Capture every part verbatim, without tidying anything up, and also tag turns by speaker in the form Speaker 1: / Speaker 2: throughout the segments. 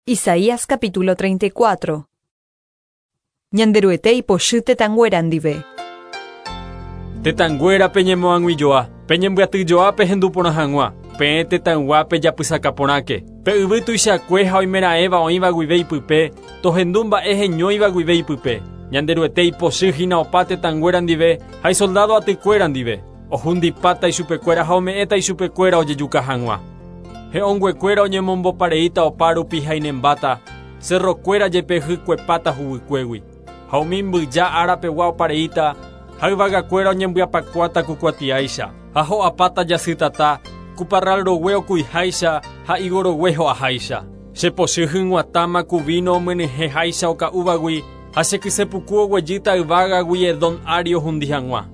Speaker 1: Isaías capítulo treinta y cuatro. Ñanderuete ipochy tetãnguéra ndive.
Speaker 2: Tetãnguéra peñemoag̃uijoa, peñembyatyjoa pehendu porã hag̃ua, peẽ tetãygua pejapysakaporãke. Pe yvy tuichakue ha oimeraẽva oĩva guive ipype, tohendu mba'e heñóiva guive ipype. Ñanderuete ipochy hína opa tetãnguéra ndive ha isoldado atykuéra ndive. Ohundipáta ichupekuéra ha ome'ẽta ichupekuéra ojejuka hag̃ua. He'õnguekuéra oñemombopareíta opa rupi ha inembáta, cerrokuéra jepe hykuepáta huguykuégui. Ha umi mbyja árapegua opareíta, ha yvagakuéra oñembyapakuáta kukuatiáicha, ha ho'apáta jasytata, kuparral rogue okuiháicha ha higo rogue ho'aháicha. Chepochy hyg̃uatãma ku vino omyenyhẽháicha oka'úvagui ha chekysepuku oguejýta yvágagui Edom ári ohundi hag̃ua.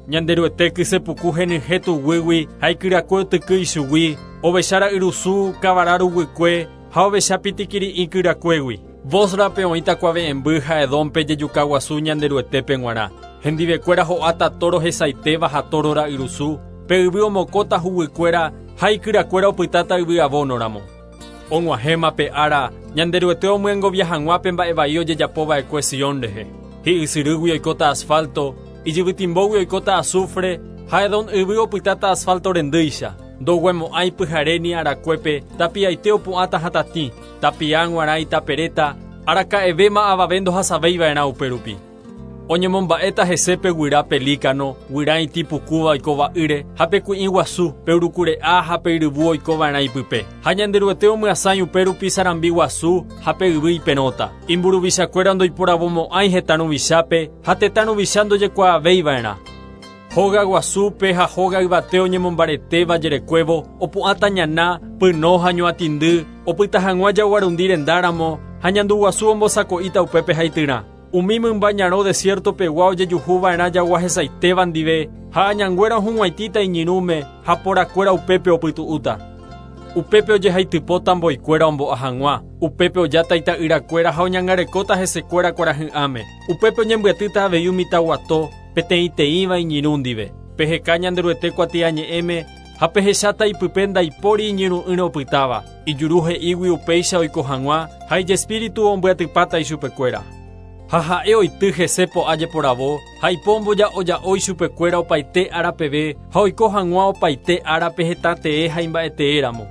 Speaker 2: Ñanderuete kysepuku henyhẽ tuguýgui ha ikyrakue otyky ichugui, ovecha ra'yrusu kavara ruguykue ha ovecha pitikiri'ĩ kyrakuégui. Bosrape oĩta kuave'ẽmby ha Edómpe jejuka guasu Ñanderuetépe g̃uarã. Hendivekuéra ho'áta toro hesaitéva ha toro ra'yrusu, pe yvy omokóta huguykuéra ha ikyrakuéra opytáta yvy avónoramo. Og̃uahẽma pe ára Ñanderuete omyengovia hag̃ua pe mba'e vai ojejapova'ekue Sion rehe. Hi'ysyrýgui oikóta asfalto, ijyvytimbógui oikóta azufre, ha Edom yvy opytáta asfalto rendýicha. Ndoguemo'ãi pyhare ni arakuépe, tapiaite opu'ãta hatatĩ, tapia g̃uarã itaperéta, araka'evéma avave ndohasavéiva'erã upérupi. Oñemomba'éta hese pe guyra pelícano, guyra itĩpukúva oikova'ỹre, ha pe kui'ĩ guasu, pe urukure'a ha pe yryvu oikova'erã ipype. Ha Ñanderuete omyasãi upérupi sarambi guasu ha pe yvy iperõta. Imburuvichakuéra ndoiporavomo'ãi hetã ruvichápe ha tetã ruvicha ndojekuaavéiva'erã. Hóga guasúpe ha hóga yvate oñemombaretéva jerekuévo, opu'ãta ñana, pyno ha ñoatĩndy, opyta hag̃ua jaguarundi rendáramo ha ñanduguasu ombosako'íta upépe haityrã. Umi mymba ñarõ desierto-pegua ojejuhuva'erã jagua hesaitéva ndive ha añanguéra ohug̃uaitĩta iñirũme ha porakuéra upépe opytu'úta. Upépe ojehaitypóta mboikuéra ombo'a hag̃ua, upépe ojáta ita'yrakuéra ha oñangarekóta hesekuéra kuarahy'ãme. Upépe oñembyatýta avei umi taguato, peteĩteĩva iñirũ ndive. Peheka Ñanderuete kuatiañe'ẽme ha pehecháta ipype ndaipóri iñirũ'ỹre opytáva. Ijuru he'ígui upéicha oiko hag̃ua ha ijespíritu ombyatypáta ichupekuéra. Ha ha'e oity hese po'a jeporavo, ha ipo omboja'oja'o ichupekuéra opaite árapeve ha oiko hag̃ua opaite árape hetãtee ha imba'eteéramo.